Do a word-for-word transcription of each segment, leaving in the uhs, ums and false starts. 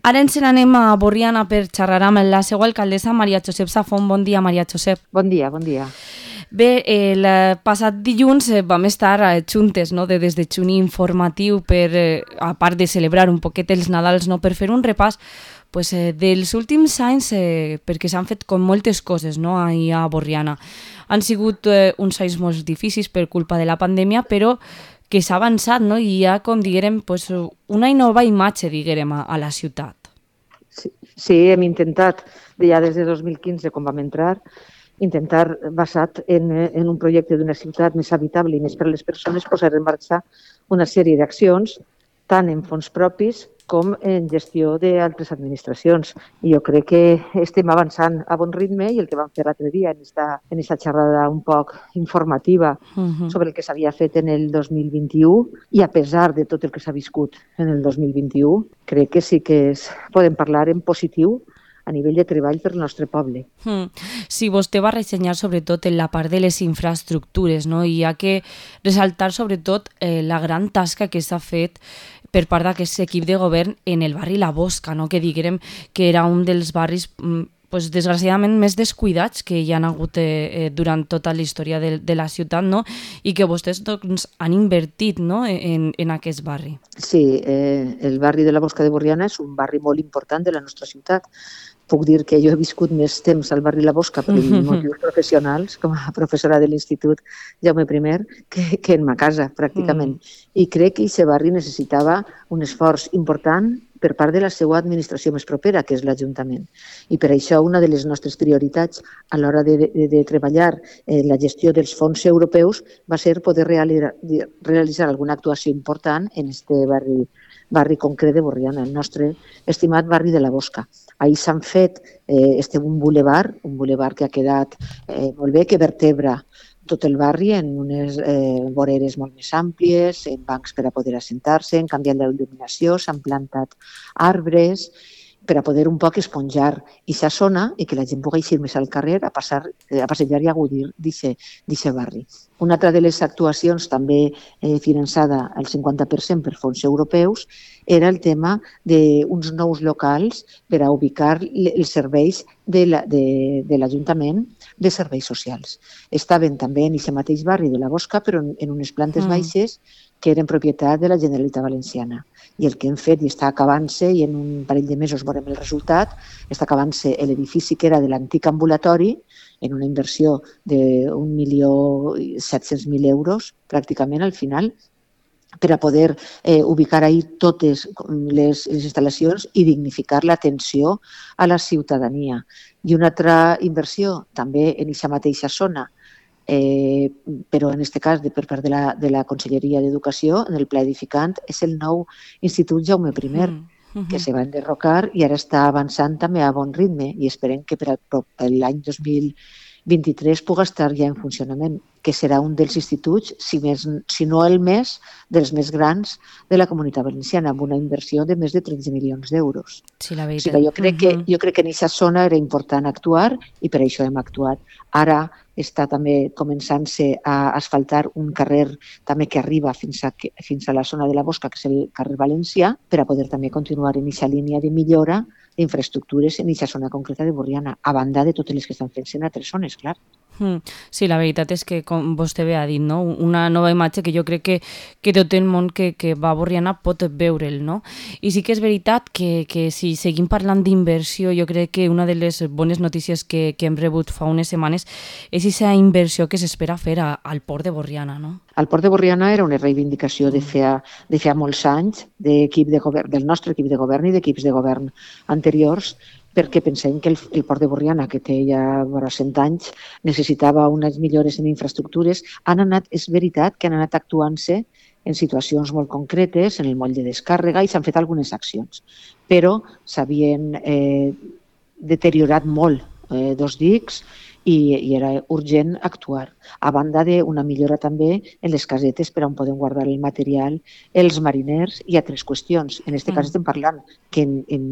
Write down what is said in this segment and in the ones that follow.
Ara ens n'anem a Borriana per xerrar amb la seva alcaldessa, Maria Josep Safont. Bon dia, Maria Josep. Bon dia, bon dia. Bé, el passat dilluns vam estar juntes, no?, de des de Xuni informatiu per, eh, a part de celebrar un poquet els Nadals, no?, per fer un repàs pues, eh, dels últims anys, eh, perquè s'han fet com moltes coses, no?, ahir a Borriana. Han sigut eh, uns anys molt difícils per culpa de la pandèmia, però que s'ha avançat, no?, i hi ha, com diguérem, pues, una nova imatge, diguérem, a, a la ciutat. Sí, sí, hem intentat, ja des de dos mil quinze, quan vam entrar, intentar, basat en, en un projecte d'una ciutat més habitable i més per a les persones, posar en marxa una sèrie d'accions, tant en fons propis com en gestió d'altres administracions. I jo crec que estem avançant a bon ritme i el que vam fer l'altre dia en esta, en esta xerrada un poc informativa uh-huh. sobre el que s'havia fet en el dos mil vint-i-u i a pesar de tot el que s'ha viscut en el dos mil vint-i-u, crec que sí que es, podem parlar en positiu a nivell de treball per al nostre poble. Mm. Sí, vostè va ressenyar sobretot en la part de les infraestructures, no? I hi ha que ressaltar sobretot eh, la gran tasca que s'ha fet per part d'aquest equip de govern en el barri La Bosca, no? Que diguérem que era un dels barris pues, desgraciadament més descuidats que hi han hagut eh, durant tota la història de, de la ciutat, no? I que vostès doncs, han invertit, no?, en, en aquest barri. Sí, eh, el barri de la Bosca de Borriana és un barri molt important de la nostra ciutat. Puc dir que jo he viscut més temps al barri La Bosca per motius professionals, com a professora de l'Institut Jaume I, que, que en ma casa, pràcticament. Mm. I crec que aquest barri necessitava un esforç important per part de la seva administració més propera, que és l'Ajuntament. I per això una de les nostres prioritats a l'hora de, de, de treballar eh, la gestió dels fons europeus va ser poder realitzar, realitzar alguna actuació important en aquest barri, barri concret de Borriana, el nostre estimat barri de La Bosca. Ahir s'han fet eh, este, un bulevard, un bulevard que ha quedat eh, molt bé, que vertebra tot el barri en unes eh, voreres molt més àmplies, en bancs per a poder assentar-se, han canviat la il·luminació, s'han plantat arbres per a poder un poc esponjar aquesta zona i que la gent pugui eixir més al carrer a, passar, a passejar i a gaudir d'aquest barri. Una altra de les actuacions també eh, finançada al cinquanta per cent per fons europeus era el tema d'uns nous locals per a ubicar els serveis de l'Ajuntament la, de, de serveis socials. Estaven també en aquest mateix barri de La Bosca, però en, en unes plantes mm. baixes que eren propietat de la Generalitat Valenciana. I el que hem fet, i està acabant-se, i en un parell de mesos veurem el resultat, està acabant-se l'edifici que era de l'antic ambulatori, en una inversió d'un milió set-cents mil euros, pràcticament al final, per a poder eh, ubicar ahí totes les, les instal·lacions i dignificar l'atenció a la ciutadania. I una altra inversió, també en aquesta mateixa zona, eh, però en aquest cas de, per part de la, de la Conselleria d'Educació, en el pla edificant, és el nou Institut Jaume I, mm. uh-huh. que se va enderrocar i ara està avançant també a bon ritme i esperem que per l'any dos mil vint-i-tres pugui estar ja en funcionament, que serà un dels instituts, si, més, si no el més, dels més grans de la Comunitat Valenciana, amb una inversió de més de tretze milions d'euros. Sí, la veritat. O sigui, jo crec que, jo crec que en aquesta zona era important actuar i per això hem actuat. Ara està també començant-se a asfaltar un carrer també que arriba fins a, fins a la zona de La Bosca, que és el carrer Valencià, per a poder també continuar en aquesta línia de millora d'infraestructures en aquesta zona concreta de Borriana, a banda de totes les que estan fent-se en altres zones, clar. Sí, la veritat és que, com vostè bé ha dit, no? Una nova imatge que jo crec que, que tot el món que, que va a Borriana pot veure'l, no? I sí que és veritat que, que si seguim parlant d'inversió, jo crec que una de les bones notícies que, que hem rebut fa unes setmanes és aquesta inversió que s'espera fer a, al port de Borriana, no? El port de Borriana era una reivindicació de fa, de fa molts anys d'equip de govern, del nostre equip de govern i d'equips de govern anteriors, perquè pensem que el, el port de Borriana, que té ja vora cent anys, necessitava unes millores en infraestructures. Han anat, és veritat que han anat actuant-se en situacions molt concretes, en el moll de descàrrega, i s'han fet algunes accions. Però s'havien eh, deteriorat molt eh, dos dics i, i era urgent actuar. A banda d'una millora també en les casetes per on podem guardar el material, els mariners i altres qüestions. En aquest mm. cas estem parlant que en, en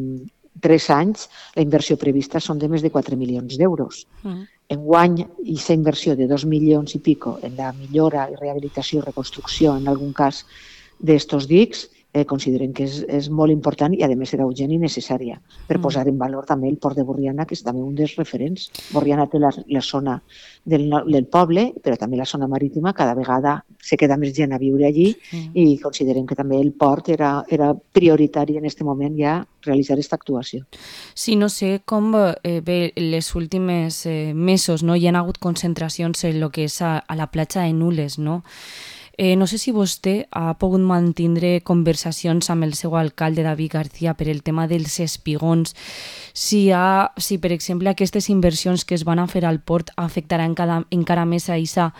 tres anys la inversió prevista són de més de quatre milions d'euros. Mm. Enguany, aquesta inversió de dos milions i pico en la millora i rehabilitació i reconstrucció, en algun cas, d'estos dics, eh, considerem que és, és molt important i, a més, serà urgent i necessària per Mm. posar en valor també el port de Borriana, que és també un dels referents. Borriana té la, la zona del, no- del poble, però també la zona marítima, cada vegada se queda més gent a viure allí Mm. i considerem que també el port era, era prioritari en aquest moment ja realitzar aquesta actuació. Sí, no sé com eh, bé, les últimes eh, mesos no, hi ha hagut concentracions en el que és a, a la platja de Nules, no? Eh, no sé si vostè ha pogut mantindre conversacions amb el seu alcalde, David García, per el tema dels espigons, si, ha, si per exemple aquestes inversions que es van a fer al port afectaran encara, encara més a aquesta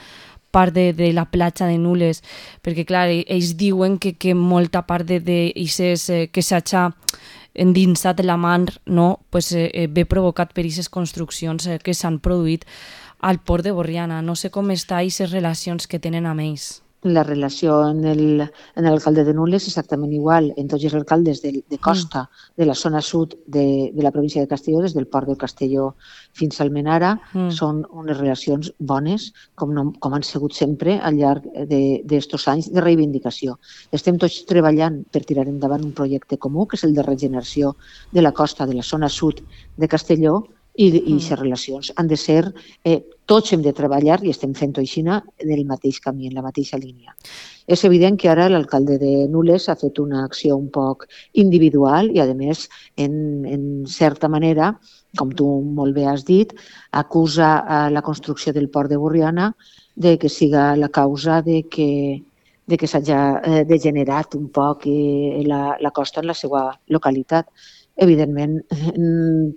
part de, de la platja de Nules, perquè clar, ells diuen que, que molta part de, de ises, eh, que s'ha endinsat la mar, no, pues, eh, ve provocat per aquestes construccions eh, que s'han produït al port de Borriana. No sé com està aquestes relacions que tenen amb ells. La relació en el, en l'alcalde de Nules és exactament igual en tots els alcaldes de, de costa mm. de la zona sud de, de la província de Castelló, des del port de Castelló fins al Menara, mm. són unes relacions bones, com, no, com han sigut sempre al llarg d'estos anys de reivindicació. Estem tots treballant per tirar endavant un projecte comú, que és el de regeneració de la costa de la zona sud de Castelló, i aquestes mm. relacions han de ser, eh, tots hem de treballar i estem fent-ho així en el mateix camí, en la mateixa línia. És evident que ara l'alcalde de Nules ha fet una acció un poc individual i, a més, en, en certa manera, com tu molt bé has dit, acusa a la construcció del port de Borriana de que siga la causa de que de que s'hagi degenerat un poc la, la costa en la seva localitat. Evidentment,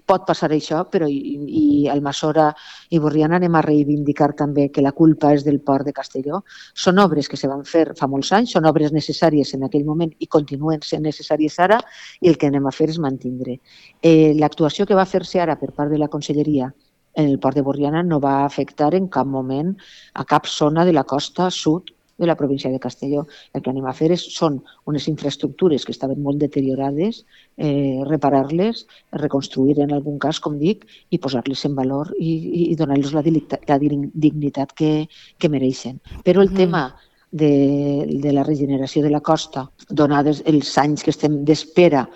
pot passar això, però i, i Almassora i Borriana anem a reivindicar també que la culpa és del port de Castelló. Són obres que se van fer fa molts anys, són obres necessàries en aquell moment i continuen sent necessàries ara, i el que anem a fer és mantindre. Eh, l'actuació que va fer-se ara per part de la Conselleria en el port de Borriana no va afectar en cap moment a cap zona de la costa sud de la província de Castelló. El que anem a fer és, són unes infraestructures que estaven molt deteriorades, eh, reparar-les, reconstruir en algun cas, com dic, i posar-les en valor i, i donar-los la, la dignitat que, que mereixen. Però el mm. tema de, de la regeneració de la costa, donades els anys que estem d'espera,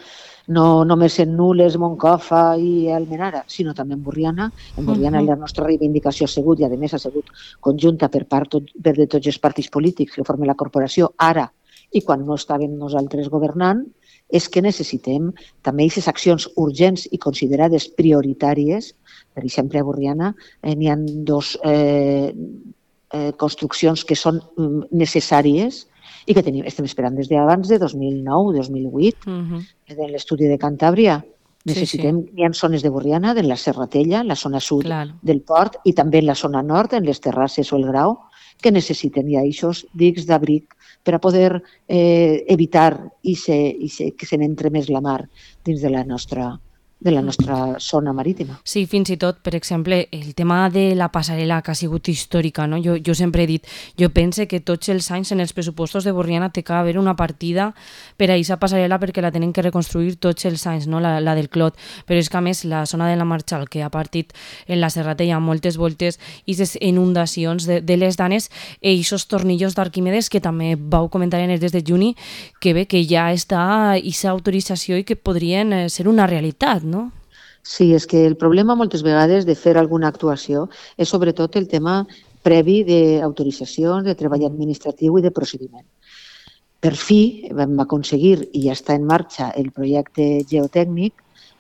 no només en Nules, Moncofa i Almenara, sinó també en Borriana. En Borriana uh -huh. la nostra reivindicació ha sigut, i a més ha sigut conjunta per part tot, per de tots els partits polítics que formen la corporació ara i quan no estàvem nosaltres governant, és que necessitem també aquestes accions urgents i considerades prioritàries. Per exemple, a Borriana eh, n'hi ha dos eh, eh, construccions que són necessàries i que tenim, estem esperant des d'abans de dos mil nou, dos mil vuit, uh-huh. en l'estudi de Cantàbria. Necessitem, sí, sí. Hi ha zones de Borriana, en la Serratella, la zona sud claro. del port, i també en la zona nord, en les terrasses o el Grau, que necessiten ja aquests dics d'abric per a poder eh, evitar i se, i se, que se n'entre més la mar dins de la nostra de la nostra zona marítima. Sí, fins i tot, per exemple, el tema de la passarel·la que ha sigut històrica, no? Jo, jo sempre he dit, jo pense que tots els anys en els pressupostos de Borriana té que haver una partida per a aquesta passarel·la perquè la tenen que reconstruir tots els anys, no? la, la del Clot, però és que a més la zona de la Marxal, que ha partit en la Serratella moltes voltes, i les inundacions de, de les Danes, i aquests tornillos d'Arquímedes que també vau comentar en el des de juny, que bé, que ja està aquesta autorització i que podrien ser una realitat, no? Sí, és que el problema moltes vegades de fer alguna actuació és sobretot el tema previ d'autorització, de treball administratiu i de procediment. Per fi vam aconseguir, i ja està en marxa, el projecte geotècnic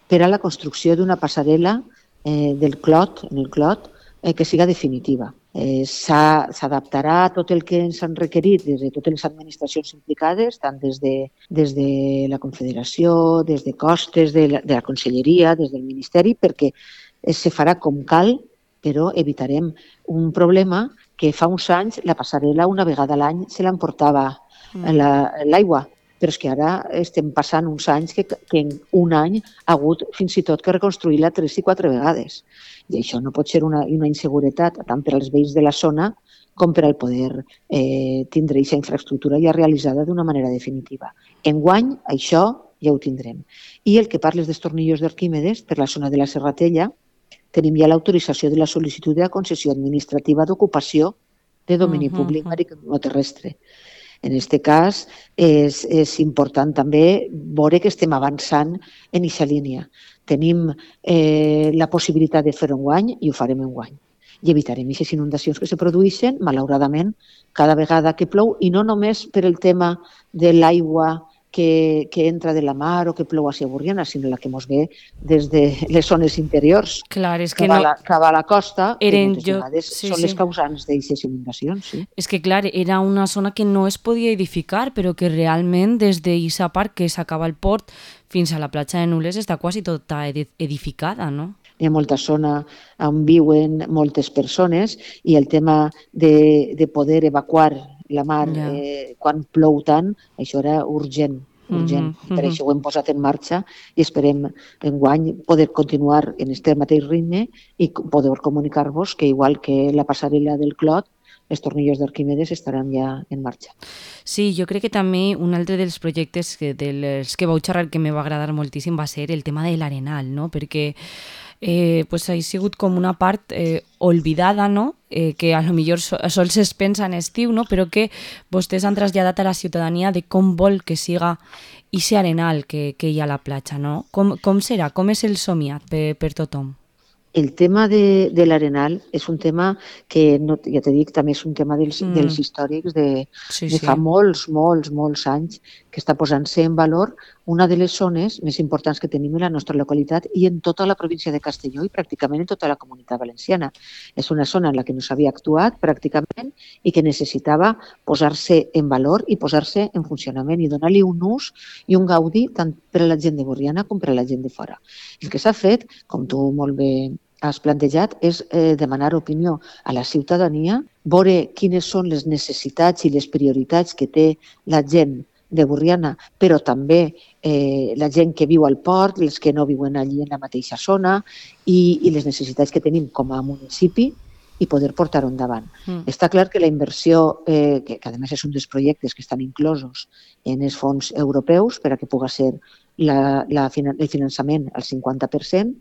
per a la construcció d'una passarel·la eh, del Clot, en el Clot, eh, que siga definitiva. Eh, s'adaptarà a tot el que ens han requerit des de totes les administracions implicades, tant des de, des de la Confederació, des de Costes, de la, de la Conselleria, des del Ministeri, perquè eh, se farà com cal, però evitarem un problema que fa uns anys la passarel·la una vegada a l'any se l'emportava l'aigua. Però és que ara estem passant uns anys que, que en un any ha hagut fins i tot que reconstruir-la tres i quatre vegades. I això no pot ser una, una inseguretat tant per als veïns de la zona com per al poder eh, tindre aquesta infraestructura ja realitzada d'una manera definitiva. Enguany, això ja ho tindrem. I el que parles dels tornillos d'Arquímedes, per la zona de la Serratella, tenim ja l'autorització de la sol·licitud de la concessió administrativa d'ocupació de domini uh-huh, públic maritimoterrestre. En aquest cas és, és important també veure que estem avançant en aquesta línia. Tenim eh, la possibilitat de fer-ho enguany i ho farem enguany. I evitarem aquestes inundacions que se produeixen, malauradament, cada vegada que plou, i no només per el tema de l'aigua que, que entra de la mar o que plou a Borriana, sinó la que ens ve des de les zones interiors, Clar, és que cap, a no... la, cap a la costa, Eren que moltes jo... vegades sí, són sí. les causants d'aquestes inundacions. Sí. És que, clar, era una zona que no es podia edificar, però que realment des d'Issa Park, que s'acaba el port, fins a la platja de Nules està quasi tota edificada, no? Hi ha molta zona on viuen moltes persones i el tema de, de poder evacuar la mar Ja. eh, quan plou tant, això era urgent, urgent. Mhm, I per mhm. això ho hem posat en marxa i esperem enguany poder continuar en aquest mateix ritme i poder comunicar-vos que igual que la passarel·la del Clot, els tornillos d'Arquimedes estaran ja en marxa. Sí, jo crec que també un altre dels projectes que, dels que vau xerrar que me va agradar moltíssim va ser el tema de l'Arenal, no? Perquè eh, pues ha sigut com una part eh, olvidada, no? Eh, que a lo millor so, sols es pensa en estiu, no? Però que vostès han traslladat a la ciutadania de com vol que siga ese arenal que, que hi ha a la platja, no? Com, com serà? Com és el somiat per, per tothom? El tema de, de l'Arenal és un tema que, no, ja t'he dit, també és un tema dels, Mm. dels històrics de, Sí, de sí. fa molts, molts, molts anys que està posant-se en valor una de les zones més importants que tenim en la nostra localitat i en tota la província de Castelló i pràcticament en tota la comunitat valenciana. És una zona en la que no s'havia actuat pràcticament i que necessitava posar-se en valor i posar-se en funcionament i donar-li un ús i un gaudi tant per a la gent de Borriana com per a la gent de fora. El que s'ha fet, com tu molt bé has plantejat, és eh, demanar opinió a la ciutadania, veure quines són les necessitats i les prioritats que té la gent de Borriana, però també eh, la gent que viu al port, els que no viuen allí en la mateixa zona i, i les necessitats que tenim com a municipi i poder portar-ho endavant. Mm. Està clar que la inversió, eh, que, que a més és un dels projectes que estan inclosos en els fons europeus per a que pugui ser la, la, el finançament al cinquanta per cent,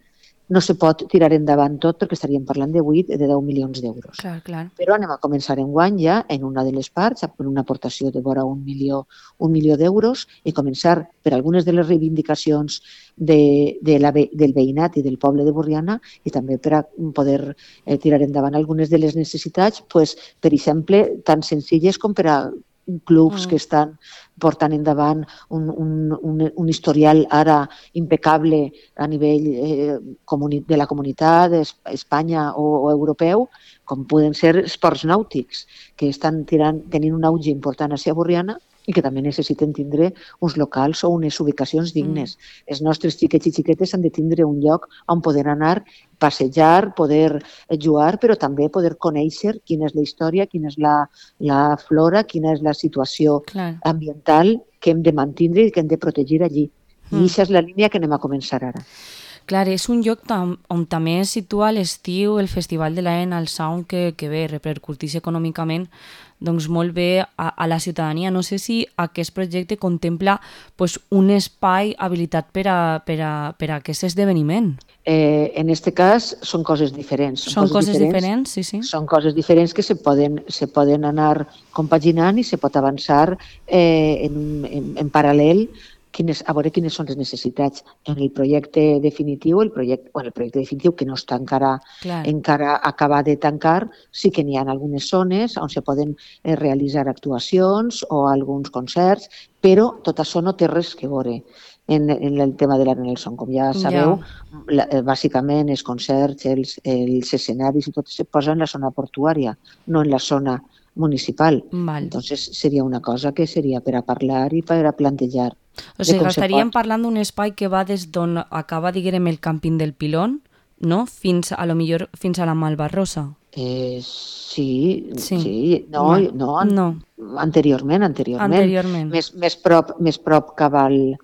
no se pot tirar endavant tot perquè estaríem parlant de vuit, de deu milions d'euros. Clar, clar. Però anem a començar enguany ja en una de les parts, amb una aportació de vora un milió, un milió d'euros i començar per algunes de les reivindicacions de, de la, del veïnat i del poble de Borriana i també per a poder eh, tirar endavant algunes de les necessitats, pues, per exemple, tan senzilles com per a clubs mm. que estan portant endavant un, un, un, un historial ara impecable a nivell eh, de la comunitat, Espanya o, o europeu, com poden ser esports nàutics, que estan tirant, tenint un auge important a Borriana i que també necessiten tindre uns locals o unes ubicacions dignes. Mm. Els nostres xiquets i xiquetes han de tindre un lloc on poder anar, passejar, poder jugar, però també poder conèixer quina és la història, quina és la, la flora, quina és la situació Clar. ambiental que hem de mantenir i que hem de protegir allí. I Mm. aquesta és la línia que anem a començar ara. Clar, és un lloc tam, on també es situa a l'estiu el Festival de l'Arenal Sound que, que bé, repercuteix econòmicament doncs molt bé a, a la ciutadania. No sé si aquest projecte contempla pues, un espai habilitat per a, per a, per a aquest esdeveniment. Eh, en aquest cas són coses diferents. Són, són coses, coses diferents, diferents, sí, sí. Són coses diferents que se poden, se poden anar compaginant i se pot avançar eh, en, en, en paral·lel quines, a veure quines són les necessitats. En el projecte definitiu, el projecte, bueno, el projecte definitiu que no està encara, encara acabat de tancar, sí que n'hi ha algunes zones on se poden eh, realitzar actuacions o alguns concerts, però tot això no té res que veure en, en el tema de l'Arenal Sound. Com ja sabeu, ja. La, bàsicament els concerts, els, els escenaris i tot se posa en la zona portuària, no en la zona municipal. Val. Entonces seria una cosa que seria per a parlar i per a plantejar. O sigui, estaríem parlant d'un espai que va des d'on acaba, diguem, el càmping del Pilón, no? Fins a lo millor fins a la Malvarrosa. Eh, sí, sí, sí. No, Val. no, an no, anteriorment, anteriorment. Anteriorment. Més, més prop, més prop cap al,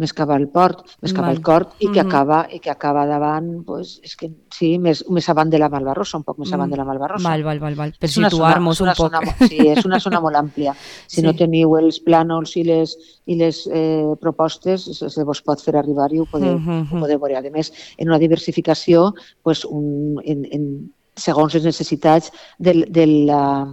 més cap al port, més cap Val. al cort i que Mhm. acaba i que acaba davant, pues, és que sí, més, més avant de la Malvarrosa, un poc més avant de la Malvarrosa. Val, val, val, val. Per És una situar-nos zona- un és una poc. zona- Sí, és una zona molt àmplia. Si Sí. no teniu els plànols i les, i les eh, propostes, se, se vos pot fer arribar i ho podeu, Mhm. ho podeu veure. A més, en una diversificació, pues, un, en, en, segons les necessitats del, del, la,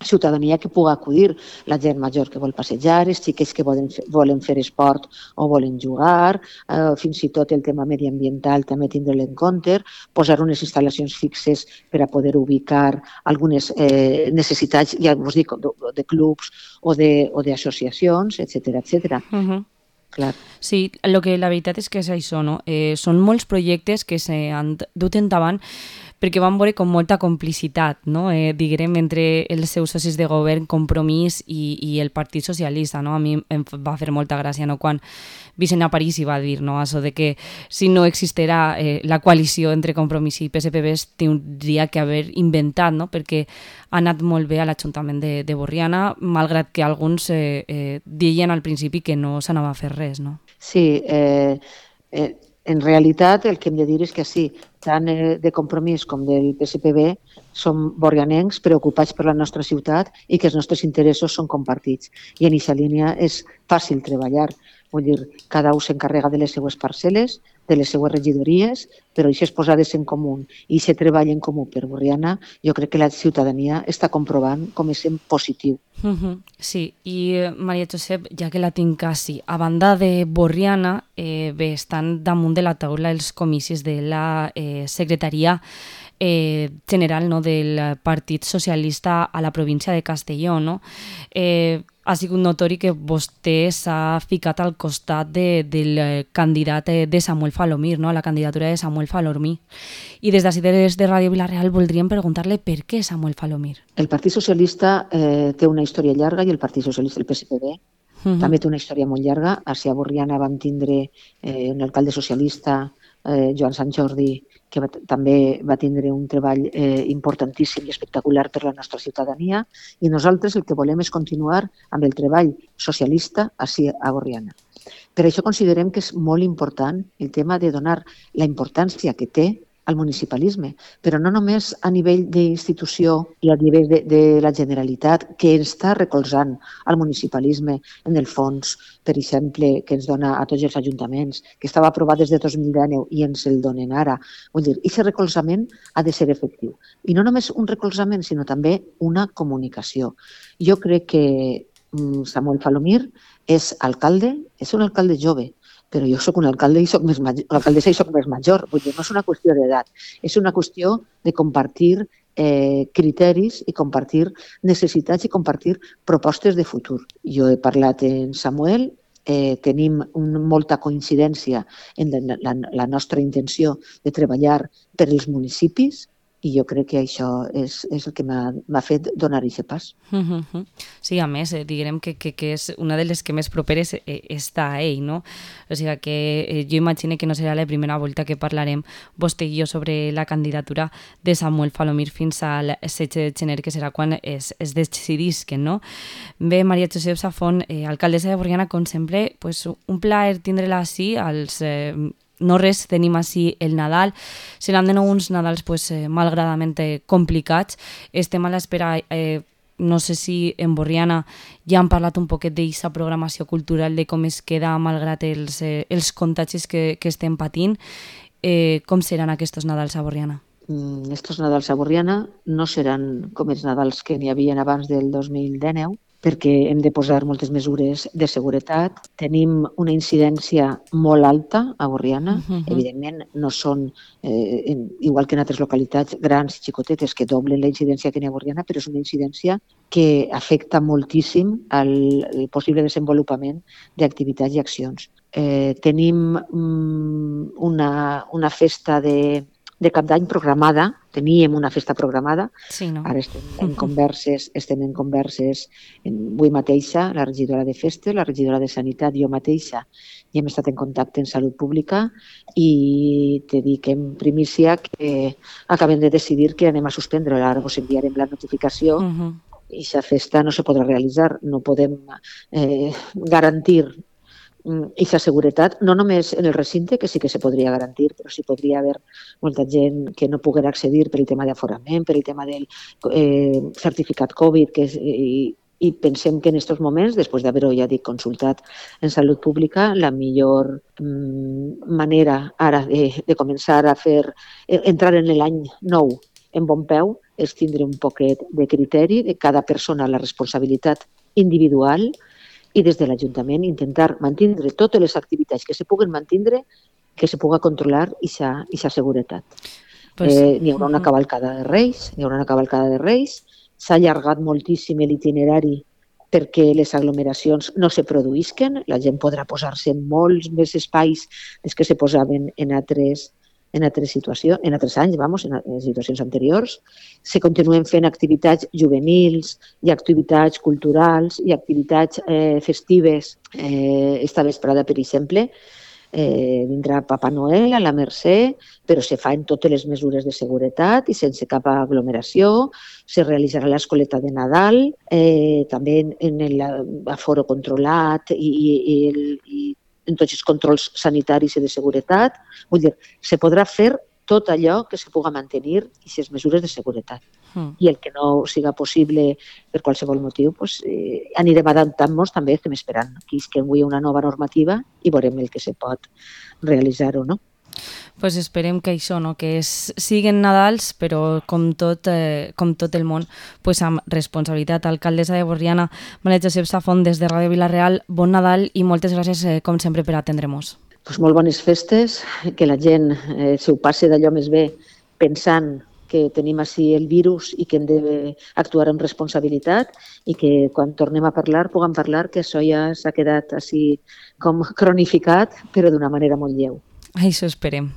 ciutadania que pugui acudir, la gent major que vol passejar, els xiquets que volen fer, volen fer esport o volen jugar, eh, fins i tot el tema mediambiental també tindre-lo en compte, posar unes instal·lacions fixes per a poder ubicar algunes eh, necessitats, ja us dic, de, de clubs o d'associacions, etcètera, etcètera. Uh-huh. Clar. Sí, el que la veritat és que és això, no? Eh, són molts projectes que s'han dut endavant perquè van veure com molta complicitat, no? eh, diguem, entre els seus socis de govern, Compromís i, i el Partit Socialista. No? A mi em va fer molta gràcia, no? Quan Vicent Aparici va dir, no? Això de que si no existirà eh, la coalició entre Compromís i P S P B es tindria que haver inventat, no? Perquè ha anat molt bé a l'Ajuntament de, de Borriana, malgrat que alguns eh, eh, deien al principi que no s'anava a fer res. No? Sí, eh, eh, en realitat el que hem de dir és que sí, tant de Compromís com del P S P B som borrianencs preocupats per la nostra ciutat i que els nostres interessos són compartits. I en aquesta línia és fàcil treballar. Vull dir, cada un s'encarrega de les seues parcel·les, de les seues regidories, però aquestes posades en comú i aquest treball en comú per Borriana, jo crec que la ciutadania està comprovant com és en positiu. Uh-huh. Sí, i Maria Josep, ja que la tinc quasi, a banda de Borriana, eh, bé, estan damunt de la taula els comicis de la eh, secretaria eh, general, no, del Partit Socialista a la província de Castelló. No? Eh, ha sigut notori que vostè s'ha ficat al costat de, del candidat de Samuel Falomir, no? La candidatura de Samuel Falomir. I des d'ací des de Ràdio Vila-real voldríem preguntar-li per què Samuel Falomir. El Partit Socialista eh, té una història llarga i el Partit Socialista, el P S P B, uh-huh. també té una història molt llarga. A Cia Borriana vam tindre eh, un alcalde socialista, eh, Joan Sant Jordi, que va, també va tindre un treball eh, importantíssim i espectacular per la nostra ciutadania, i nosaltres el que volem és continuar amb el treball socialista ací a Borriana. Per això considerem que és molt important el tema de donar la importància que té al municipalisme, però no només a nivell d'institució i a nivell de, de la Generalitat, que està recolzant al municipalisme en el fons, per exemple, que ens dona a tots els ajuntaments, que estava aprovat des de dos mil dinou i ens el donen ara. Vull dir, aquest recolzament ha de ser efectiu. I no només un recolzament, sinó també una comunicació. Jo crec que Samuel Falomir és alcalde, és un alcalde jove, però jo soc un alcalde i soc més major, alcaldessa i soc més major. Vull dir, no és una qüestió d'edat, és una qüestió de compartir eh, criteris i compartir necessitats i compartir propostes de futur. Jo he parlat amb Samuel, eh, tenim un, molta coincidència en la, la, la nostra intenció de treballar per als municipis, i jo crec que això és, és el que m'ha fet donar aquest pas. Uh-huh. Sí, a més, eh, diguem que, que, que és una de les que més properes eh, està a ell, no? O sigui que eh, jo imagino que no serà la primera volta que parlarem vostè i jo sobre la candidatura de Samuel Falomir fins al setze de gener, que serà quan es, es decidisquen, no? Bé, Maria Josep Safont, eh, alcaldessa de Borriana, com sempre, pues, un plaer tindre-la així als... Eh, no res, tenim així el Nadal. Seran de nou uns Nadals pues, eh, malgradament complicats. Estem a l'espera, eh, no sé si en Borriana ja han parlat un poquet d'aquesta programació cultural, de com es queda malgrat els, eh, els contagis que, que estem patint. Eh, com seran aquests Nadals a Borriana? Mm, estos Nadals a Borriana no seran com els Nadals que n'hi havia abans del dos mil dinou, perquè hem de posar moltes mesures de seguretat. Tenim una incidència molt alta a Borriana. Uh-huh. Evidentment, no són, eh, en, igual que en altres localitats grans i xicotetes, que doblen la incidència que n'hi ha a Borriana, però és una incidència que afecta moltíssim el, el possible desenvolupament d'activitats i accions. Eh, tenim mm, una, una festa de... de Cap d'Any programada, teníem una festa programada, sí, no? Ara estem en converses, estem en converses en, avui mateixa, la regidora de Festes, la regidora de Sanitat, jo mateixa, i hem estat en contacte en Salut Pública i te dic en primícia que acabem de decidir que anem a suspendre, ara us enviarem la notificació, uh-huh. i aquesta festa no se podrà realitzar, no podem eh, garantir i la seguretat, no només en el recinte, que sí que se podria garantir, però sí podria haver molta gent que no poguera accedir per el tema d'aforament, per el tema del eh, certificat Covid, que és, i, i pensem que en aquests moments, després d'haver-ho, ja dic, consultat en Salut Pública, la millor mm, manera ara de, de començar a fer, entrar en l'any nou en bon peu, és tindre un poquet de criteri de cada persona, la responsabilitat individual, i des de l'Ajuntament intentar mantindre totes les activitats que se puguen mantindre, que se puga controlar aquesta seguretat. Pues, eh, n'hi haurà una ujú. cavalcada de Reis, n'hi haurà una cavalcada de Reis, s'ha allargat moltíssim l'itinerari perquè les aglomeracions no se produïsquen, la gent podrà posar-se en molts més espais des que se posaven en altres, en altres situacions, en altres anys, vamos, en, en situacions anteriors. Se continuen fent activitats juvenils, i activitats culturals, i activitats eh, festives. Eh, esta vesprada, per exemple, Eh, vindrà Papa Noel a la Mercè, però se fa en totes les mesures de seguretat i sense cap aglomeració. Se realitzarà l'escoleta de Nadal, eh, també en, en l'aforo controlat i, i, i, el, i en tots els controls sanitaris i de seguretat. Vull dir, se podrà fer tot allò que se puga mantenir i les mesures de seguretat. Mm. I el que no siga possible per qualsevol motiu, pues, eh, anirem adaptant-nos, també estem esperant que isqui una nova normativa i veurem el que se pot realitzar o no. Pues esperem que això, no? Que es, siguen Nadals, però com tot, eh, com tot el món, pues amb responsabilitat. Alcaldessa de Borriana, Maria Josep Safont, des de Ràdio Vila-real, bon Nadal i moltes gràcies, eh, com sempre, per atendre'ns. Pues molt bones festes, que la gent eh, se ho passi d'allò més bé pensant que tenim així el virus i que hem d'actuar amb responsabilitat i que quan tornem a parlar puguem parlar que això ja s'ha quedat així com cronificat, però d'una manera molt lleu. Això esperem.